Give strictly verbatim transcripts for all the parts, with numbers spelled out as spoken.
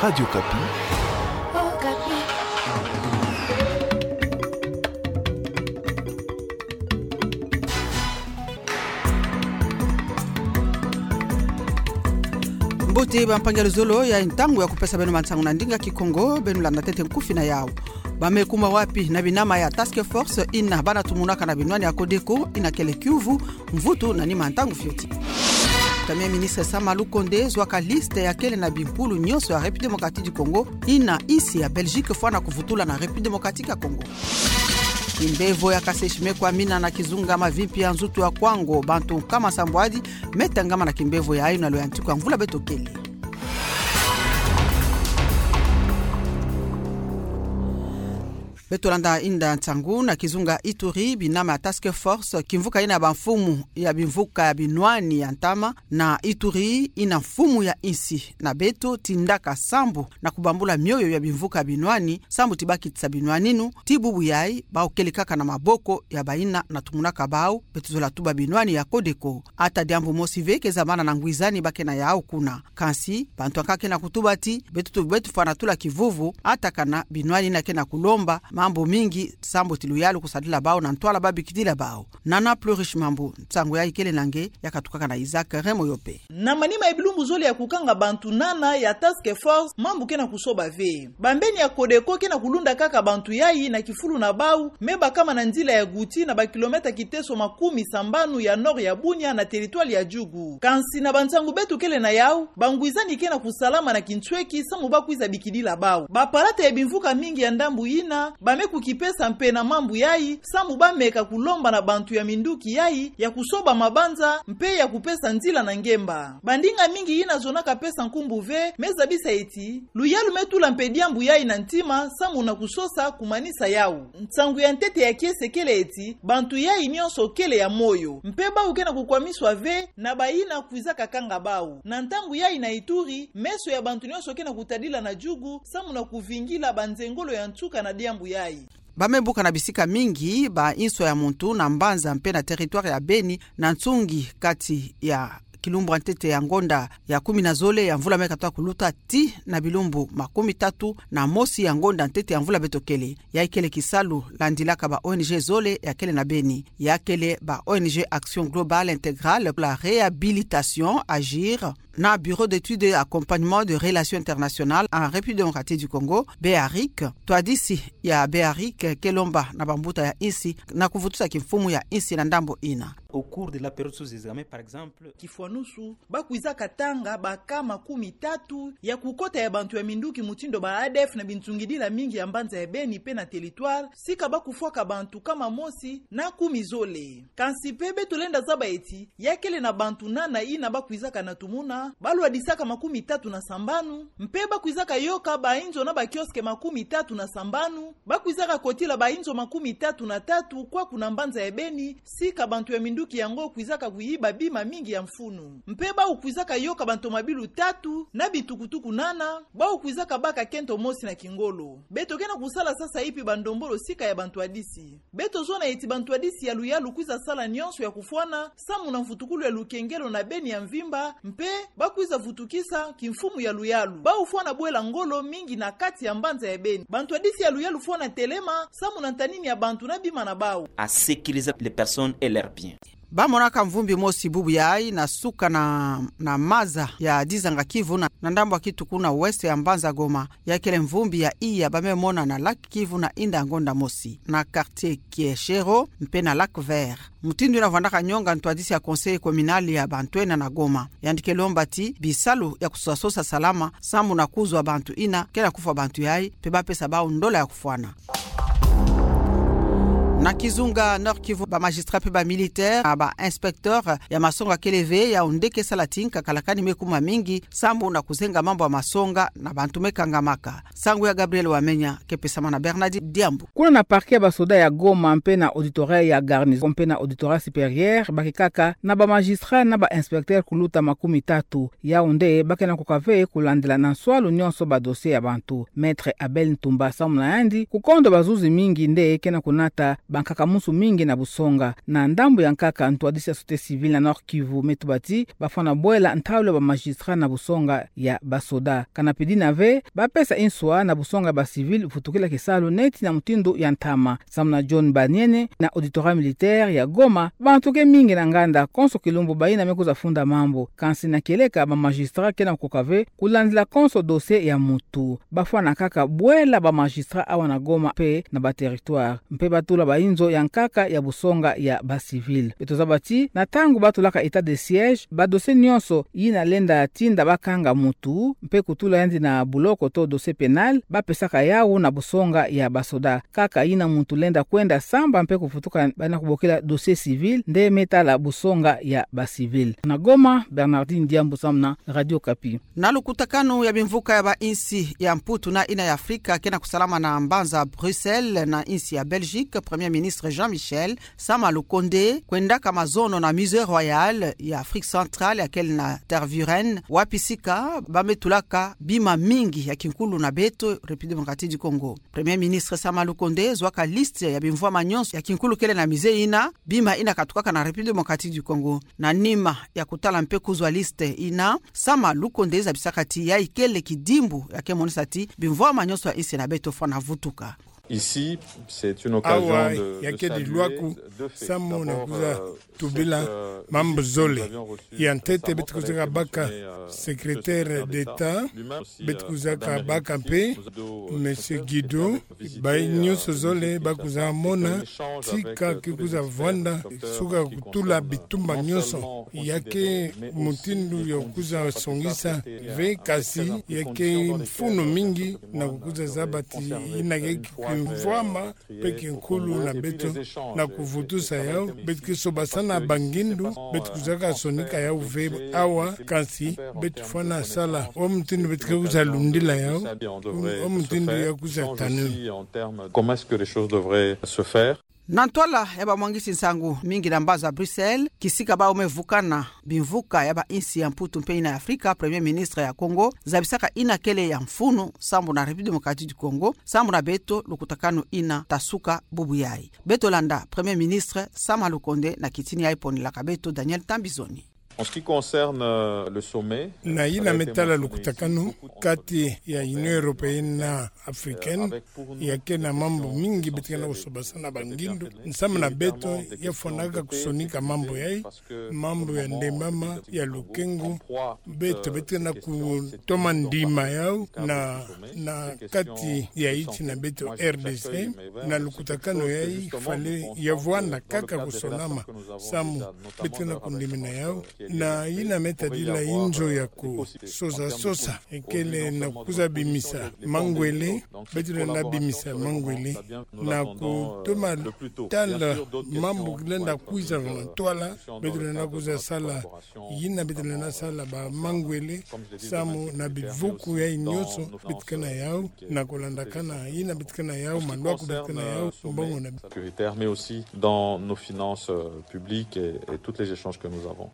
Radio Okapi. Mbote bampangi ya luzolo, ya ntangu ya kupesa beno mansangu na ndinga Kikongo. Beno landa ntete nkufi na yau. Ba me kuma wapi na binama ya task force ina bana tumunaka na binwani ya Codeco, ina kele kiuvu, mvutu na nima ntangu fioti. Premier ministre Sama Lukonde zwaka liste ya kele na bimpulu nyonso ya République Démocratique du Congo, ina insi ya Belgique fwana kuvutula na République Démocratique ya Congo. Kimbevo ya kaseshi me kwamina na kizunga Mavimpi ya nzutu ya Kwango, bantu nkama sambwadi me tangama na kimbevo yayi na lo ya ntiku ya mvula beto kele. Beto landa inda nsangu na kizunga Ituri, binama ya task force, kimvuka ina bamfumu ya bimvuka ya binwani ya ntama, na Ituri ina mfumu ya insi na beto tindaka sambu na kubambula mioyo ya bimvuka ya binwani, sambu ti bakitisa binwani nu, ti bubu yayi, bau kele kaka na maboko ya bayina na tumunaka bau, beto zola tuba binwani ya Codeco. Ata diambu mosi ve ke za bana na ngwizani ba ke na yau kuna. Kansi, bantu ankaka ke na kutuba ti, beto tu, beto fwana tula kivuvu, ata kana binwani ina ke na kulomba mambu mingi, sambu ti luyalu kusadila bau na ntwala ba bikidila bau. Nana Plurish Mambu, nsangu yayi kele na nge, ya katukaka na Isaac Remoyope. Na manima ya bilumbu zole ya kukanga bantu nana ya task force, mambu ke na kusoba ve. Bambeni ya Codeco ke na kulunda kaka bantu yayi na kifulu na bau, me bakama na nzila ya Gouti na ba kilomètre kiteso makumi sambanu ya nord ya Bunia na territoire ya Djugu. Kansi na bansangu beto kele na yau, bangwizani ke na kusalama na kinsweki, sambu ba kwiza bikidila bau. Bapalata ya bimvuka mingi ya ndambu ina, ba me kukipesa mpe na mambu yayi, sambu ba meka kulomba na bantu ya minduki yayi, ya kusoba mabanza, mpe ya kupesa nzila na ngemba. Bandinga mingi ina zonaka pesa nkumbu ve, me zabisa ti, luyalu me tula mpe diambu yayi na ntima, sambu na kusosa kumanisa yau. Nsangu ya ntete ya kiese kele ti, bantu yayi nyonso kele ya moyo. Mpe bau ke na kukwamiswa ve, na bayina kwizaka kanga bau. Na ntangu yayi na Ituri, meso ya bantu nyonso ke na kutadila na Djugu, sambu na kuvingila banzengolo ya nsuka na diambu yayi. Ba me buka na bisika mingi, ba inso ya muntu, na mbanza mpe na territoire ya Beni, na nsungi kati ya kilumbu ya ntete ya ngonda ya kumi na zole ya mvula me katuka kuluta ti na bilumbu makumi tatu na mosi ya ngonda ntete ya mvula beto kele. Yayi kele kisalu landilaka ba O N G zole ya kele na Beni. Ya kele ba O N G Action Globale Intégrale pour la Réhabilitation, AGIR, na Bureau d'études et accompagnement de relations internationales en République démocratique du Congo, BEARIC. Ntwadisi ya BEARIC ke lomba na bambuta ya insi na kuvutusa kimfumu ya insi na ndambu ina. Au cours de la période sous examen, par exemple, kifwanusu, ba kwizaka tanga ba cas makumi tatu ya kukota ya bantu ya minduki mutindu ba A D F na binsungidila mingi ya mbanza ya Beni mpe na territoire, sika ba kufwaka bantu kama mosi na kumi zole. Kansi mpe beto lenda zaba ti, ya kele na bantu nana ina ba kwizaka na tumuna, ba lwadisaka makumi tatu na sambanu, mpe ba kwizaka yoka ba inzo na ba kiosque makumi tatu na sambanu, ba kwizaka kotila ba inzo makumi tatu na tatu kwaku na mbanza ya Beni, sika bantu ya minduki yango kwizaka kuyiba bima mingi ya mfunu. Mpe bau kwizaka yoka bantomabilu tatu na bitukutuku nana, bau kwizaka baka kento mosi na kingolo. Beto ke na kusala sasa ipi bandombolo sika ya bantwadisi. Beto zona ti bantwadisi ya luyalu kwiza sala nyonso ya kufwana, samu na mvutukulu ya lukengelo na Beni ya mvimba, mpe ba kwiza vutukisa kimfumu ya luyalu. Bau fwana bwela ngolo mingi na kati ya mbanza ya Beni. Bantwadisi ya luyalu fwana telema, samu na ntanini ya bantu na bima na bau. À sécuriser les personnes et leurs biens. Ba monaka mvumbi mosi bubu yayi na suka na, na maza ya Dizanga Kivu na, na ndambu ya kituku na ouest ya mbanza Goma. Ya kele mvumbi ya iya ba me mona na lac Kivu na inda ngonda mosi, na quartier Kieshero, mpe na Lac Vert. Mutindu ina vwandaka nyonga ntwadisi ya conseil communal ya bantu ena na Goma. Yandi ke lomba ti bisalu ya kusosa sosa salama, samu na kuzwa bantu ina ke na kufwa bantu yayi, mpe ba pesa bau ndola ya kufwana. Na kizunga Nord-Kivu, ba magistrat mpe ba militaire, na ba inspecteur ya masonga kele ve, yau nde ke sala ti nkakala kani me kuma mingi, samu na kuzenga mambu ya masonga na bantu me kangamaka. Sango ya Gabriel Wamenya, ke pesama na Bernard Diambu. Kuna na parquet ya basoda ya Goma mpe na auditorat ya garnison mpe na auditorat supérieur, ba ke kaka na ba magistrat na ba inspecteur kuluta makumi tatu. Yau nde ba ke na kuka ve kulandila na nswalu nyonso ba dossier ya bantu. Maître Abel Ntumba samu na yandi, kukondo bazuzi mingi nde ke na kunata bankaka-musu mingi na busonga. Na ndambu ya nkaka, ntwadisi ya société civile na Nord-Kivu me tuba ti bafwana bwela ntalu ya ba magistrat na busonga ya basoda. Kana pidina ve bapesa nswa na busonga ya ba civil vutukila kisalu neti na mutindu ya ntama. Samu na John Baniene na auditorat militaire ya Goma, bantu ke mingi na nganda konso kilumbu bayina me kwiza funda mambu. Kansi na kieleka, ba magistrat ke na kukoka ve kulandila konso dossier ya mutu. Bafwana kaka bwela ba magistrat awa na Goma mpe na ba territoire, mpe batula ba inzo ya nkaka ya busonga ya ba civil. Beto zaba ti na ntangu batulaka état de siège, ba dossier nyonso yina lenda tinda bakanga mutu mpe kutula yandi na buloko to dossier pénal, bapesaka yawu na busonga ya basoda. Kaka yina mutu lenda kwenda samba mpe kuvutuka, bana kubokila dossier civil, nde me tala busonga ya ba civil. Na Goma, Bernardine Diambu samu na Radio Okapi. Na lukutakanu ya bimvuka ya ba insi ya Mputu na yina ya Afrika ke na kusalama na mbanza Bruxelles na insi ya Belgique, Premier Ministre Jean Michel Sama Lukonde kwendaka mazono na Musée Royal ya Afrique Centrale, ya kele na Tervuren, wapi sika ba me tulaka bima mingi ya kinkulu na beto, République Démocratique du Congo. Premier Ministre Sama Lukonde zwaka liste ya bimvwama nyonso ya kinkulu kele na musée yina, bima yina katukaka na République Démocratique du Congo. Na nima ya kutala mpe kuzwa liste yina, Sama Lukonde zabisaka ti yayi kele kidimbu ya ke monisa ti bimvwama nyonso ya insi na beto fwana vutuka. Ici, c'est une occasion Awa, de, ya de kele saluer lwaku, deux faits. Samu na D'abord, kuza euh, tubila cette, euh, mambu visite que zole. Nous avions reçue Ya ntete, récemment beto par la kuzaka baka Commission, euh, secrétaire d'État, beto kuzaka baka mpe Monsieur Guido, bayi nyonso zole ba kuza mona tika ke kuza vwanda, suka kutula bitumba nyonso. Ya ke mutindu ya kuza songisa ve, kasi ya ke mfunu mingi na kukuza zaba ti yina ke kimvwama mpe kinkulu na beto. Na kuvutusa yawu, beto ke sobasana ba ngindu, beto kuzaka sonika yawu ve awa, kansi beto fwana sala o mutindu beto ke kuza lundila yawu, o mutindu ya kuza tanuna. Comment est-ce que les choses devraient se faire ? Na ntwala ya bamwangisi nsangu mingi na mbanza Bruxelles, kisika bau me vukana bimvuka ya ba insi ya Mputu mpe yina ya Afrika, Premier Ministre ya Congo zabisaka yina kele ya mfunu sambu na République Démocratique du Congo, sambu na beto lukutakanu yina ta suka bubu yayi. Beto landa Premier Ministre Sama Lukonde na kitini yayi ponelaka beto Daniel Tambizoni. En ce qui concerne, euh, le sommet, Na yina me tala lukutakanu kati ya Union Européenne na Africaine, ya ke na mambu mingi beto ke na kusobasana ba ngindu. Nsamu na beto, ya fwanaka kusonika mambu yayi, mambu ya ndembama, ya lukengo, beto, beto ke na kutoma ndima yawu na, na kati ya insi na beto R D C, na lukutakanu yayi fallait ya vwanda kaka kusonama, samu beto ke na kundimina yawu. Na yina me tadila inzo ya kusosa sosa, ekele na kuza bimisa mangwele, beto lenda bimisa mangwele, na kutoma tala mambu lenda kwiza na ntwala, beto lenda kuza sala, yina beto lenda sala ba mangwele, samu na bivuku yayi nyonso beto ke na yawu, na kulandakana yina beto ke na yawu, malwaku beto ke na yawu, mbongo na sécuritaire, mais aussi dans nos finances, euh, publiques et, et tous les échanges que nous avons.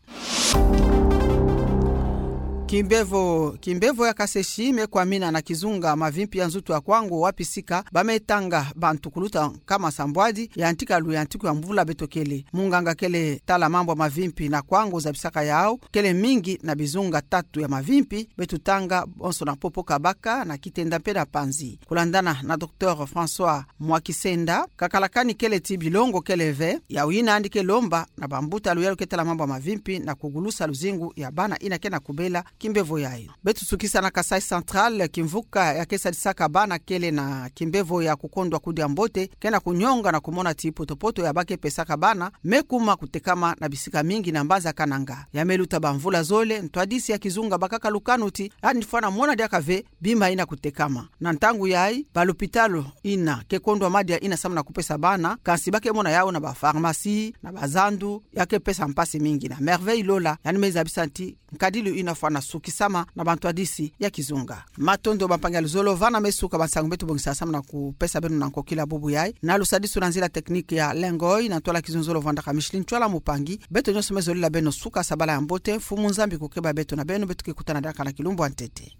Kimbevo, kimbevo ya kaseshi me kwamina na kizunga mavimpi ya nzutu ya Kwango, wapi sika ba me tanga bantu kuluta nkama sambwadi, yantika luyantiku ya mvula beto kele. Munganga kele tala mambu ya mavimpi na Kwango zabisaka yawu kele mingi na bizunga tatu ya mavimpi beto tanga, bonso na Popo, Kabaka na Kitenda mpe na Panzi. Kulandana na Docteur François Mwakisenda, kakalakani kele ti bilongo kele ve, yawu yina yandi ke lomba na bambuta luyalu ke tala mambu ya mavimpi na kugulusa luzingu ya bana yina ke na kubela kimbevo yayi. Beto sukisa na Kasaï Central, kimvuka ya ke sadisaka bana kele na kimbevo ya kukondwa kudia mbote ke na kunyonga na kumona ti poto-poto ya ba ke pesaka bana me kuma kutekama na bisika mingi na mbanza Kananga. Ya me luta bamvula zole, ntwadisi ya kizunga bakaka lukanu ti yandi fwana mona diaka ve bima yina kutekama. Na ntangu yayi, balupitalu yina ke kondwa madia yina samu na kupesa bana, kansi ba ke mona yawu na bapharmacie, na bazandu, ya ke pesa mpasi mingi. Na Merveille Lola, yandi me zabisa ti nkadilu yina fwana sukisama na bantwadisi ya kizunga. Matondo bampangi ya luzolo, vana me suka bansangu beto bongisa samu na kupesa beno na nkokila bubu yayi. Na lusadisu na nzila technique ya Lengoi, na ntwala kizunzolo vandaka Micheline Ntwala Mupangi. Beto nyonso me zolila beno suka sabala ya mbote, Mfumu Nzambi kukeba beto na beno, beto ke kutana diaka na kilumbu ya ntete.